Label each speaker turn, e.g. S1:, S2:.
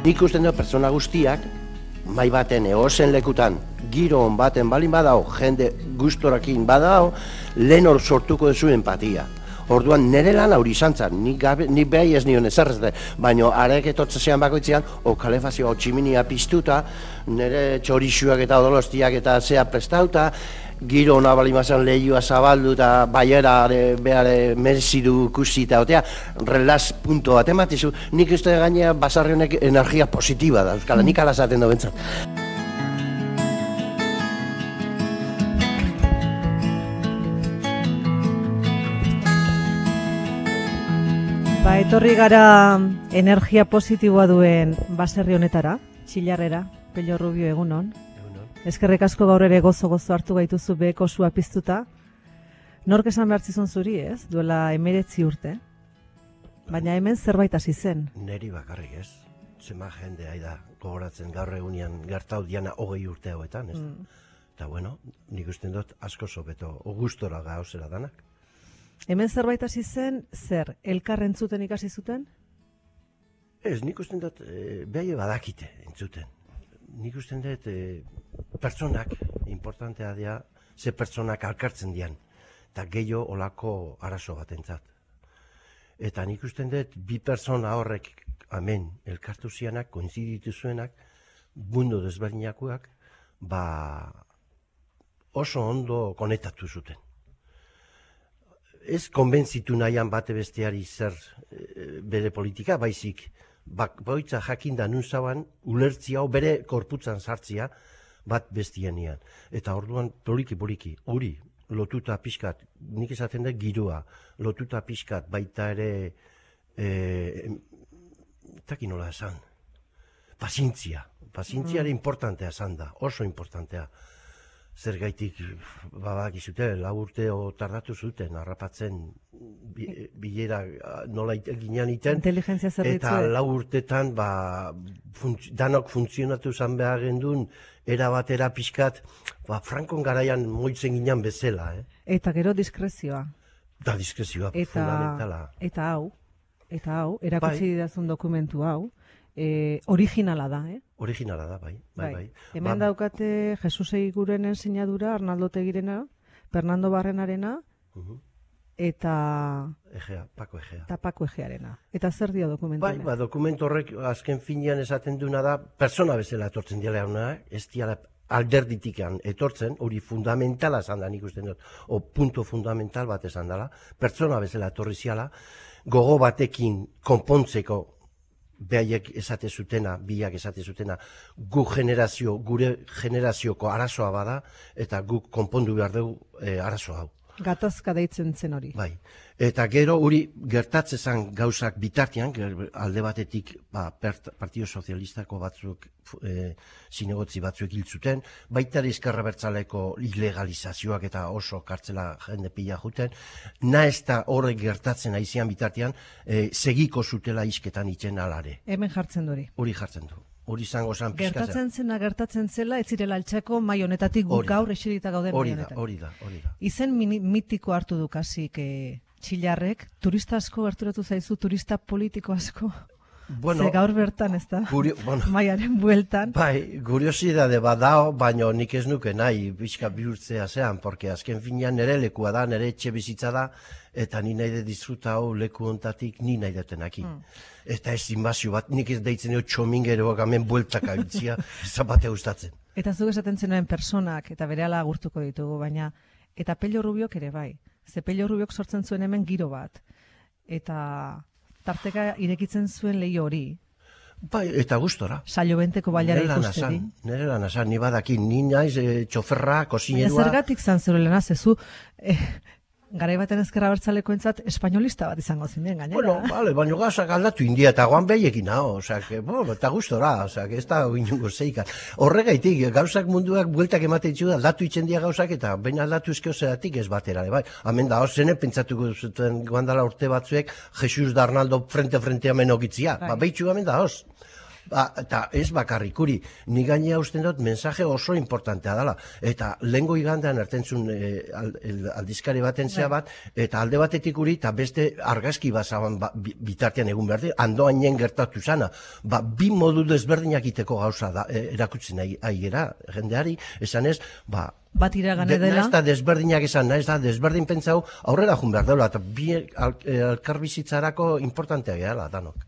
S1: Nik usten dut pertsona guztiak, mai baten egozen lekutan, giro on baten balin badao, jende gustorakin badao, lehen hor sortuko duzu empatia. Orduan nire lan hori izan zen, nik behai ez nion ezarrezte, baina arek etotzean bakoitzean, kalefazioa tximinia piztuta, nire txorixuak eta odolostiak eta zea prestauta, giro hona balimazan lehioa zabaldu eta baiera behar merzidu kusita, otea, relaz punto bat ematizu, nik uste gainea basarri honek energia positiba da, euskala, nik alazaten da bentsat.
S2: Ba, etorri gara energia positiboa duen baserri honetara, Txillarrera, Pello Rubio, egunon. Eskerrik asko gaur ere gozo hartu gaituzu beheko sua piztuta. Nork esan behar zizun zuri, ez? Duela 19 urte. Baina hemen zerbait hasi zen.
S1: Neri bakarrik ez. Zema jende da gogoratzen gaur egunean gertau diana 20 urte hauetan, ez? Eta bueno, nik usten dut asko sobeto, gustora gauzera danak.
S2: Hemen zerbait hasi zen, zer, elkar entzuten ikasi zuten?
S1: Ez, nik usten dut behai badakite entzuten. Nik usten dut pertsonak, importantea dira, ze pertsonak alkartzen dian, eta gehiago olako arazo bat entzat. Eta nik usten dut bi pertsona horrek, hemen, elkartu zianak, koinziditu zuenak, mundu desberdinakoak, oso ondo konektatu zuten. Ez konbentzitu nahian bate besteari zer bere politika, baizik, boitza jakinda nun zauan, ulertzia hau bere korputzan sartzia bat bestianian. Eta orduan poliki, hori lotuta pixkat, nik esaten dut giroa, lotuta pixkat baita ere, taki nola esan, pazientzia ere importantea esan da, oso importantea. Zer gaitik, babakizute, 4 urte tardatu zuten, harrapatzen bilera nola ginean iten, eta 4 urtetan danok funtzionatu zan behar gendun, erabatera pixkat, Frankon garaian moitzen ginean bezala.
S2: Eta gero diskrezioa.
S1: Da diskrezioa, fundamentala.
S2: Eta hau, erakutsi didazun dokumentu hau, originala da,
S1: Originala da, bai.
S2: Hemen daukate Jesus Eguirenen sinadura, Arnaldo Tegirena, Fernando Barrenarena, eta Paco Egearena. Eta zer dio dokumentu honek?
S1: Bai, dokumentu horrek azken finean esaten duna da, persona bezala etortzen dira hona, ez dira alderditikan etortzen, hori fundamentala esan da nik usten dut, o punto fundamental bat esan dela, persona bezala etorri ziala, gogo batekin konpontzeko behaiek esate zutena, biak esate zutena, gure generazioko arazoa bada, eta guk konpondu behar dugu arazo hau.
S2: Gatazka deitzen zen hori.
S1: Bai, eta gero hori gertatzezan gauzak bitartean, alde batetik Partido Sozialistako batzuk, zinegotzi batzuk hil zuten, baita Ezker Abertzaleko ilegalizazioak eta oso kartzela jende pila juten, ez da horrek gertatzen aizian bitartean, segiko zutela izketan itzen alare.
S2: Hemen jartzen duri.
S1: Hori jartzen du. Hori zango zan pizkatzen.
S2: Gertatzen zela, ez zirela altxako mai honetatik guk gaur eserita gauden mai honetan.
S1: Hori da.
S2: Izen mitiko hartu du kasik Txillarrek, turista asko gerturatu zaizu, turista politiko asko. Ze gaur bertan, ez da? Maiaren bueltan.
S1: Bai, kuriosidade badao, baina nik ez nuke nahi bizka bihurtzea zean, porque azken finean nire lekua da, nire etxe bizitza da, eta ni nahi de disfruta hau leku ontatik ni nahi detenaki. Eta ez inbazio bat, nik ez deitzen dut txomingeroak hemen bueltak abitzia, zapatea gustatzen.
S2: Eta zuk esaten zenuen personak, eta berehala agurtuko ditugu, baina, eta Pello Rubiok ere bai. Ze Pello Rubiok sortzen zuen hemen giro bat. Eta tarteka irekitzen zuen lehi hori.
S1: Bai, eta gustora.
S2: Saiobenteko bailara ikusteri.
S1: Nere lan asan, ni badakin, ni naiz txoferra, kosinerua.
S2: Zergatik zan zure lana, zezu, garai baten Ezker Abertzaleko entzat, espainolista bat izango zinen gainera.
S1: Bueno, baina gauzak aldatu india eta goan behiekin hau, eta gustora, ez da inungo zeika. Horregaitik, gauzak munduak bueltak ematen ditzu, aldatu itzen dia gauzak, eta baina aldatu ezkeo zeratik ez batera, bai. Hemen da, zene pentsatuko zuten guandala urte batzuek, Jesus da Arnaldo frente hemen ogitzia, behitxu hemen da, Eta ez bakarrikuri, ni gainea usten dut mensaje oso importantea dela. Eta lehengo igandean ertentzun aldizkari baten zea bat, eta alde batetik uri, eta beste argazki bazaban bitartean egun behar dira, andoainen gertatu zana. Bi modu desberdinak iteko gauza erakutzen aigera, jendeari, esan ez,
S2: bat iragane dela.
S1: Naiz da desberdinak esan, naiz da desberdin pentsau aurrera jun behar dela, eta bi elkarbizitzarako importanteak gehala, danok.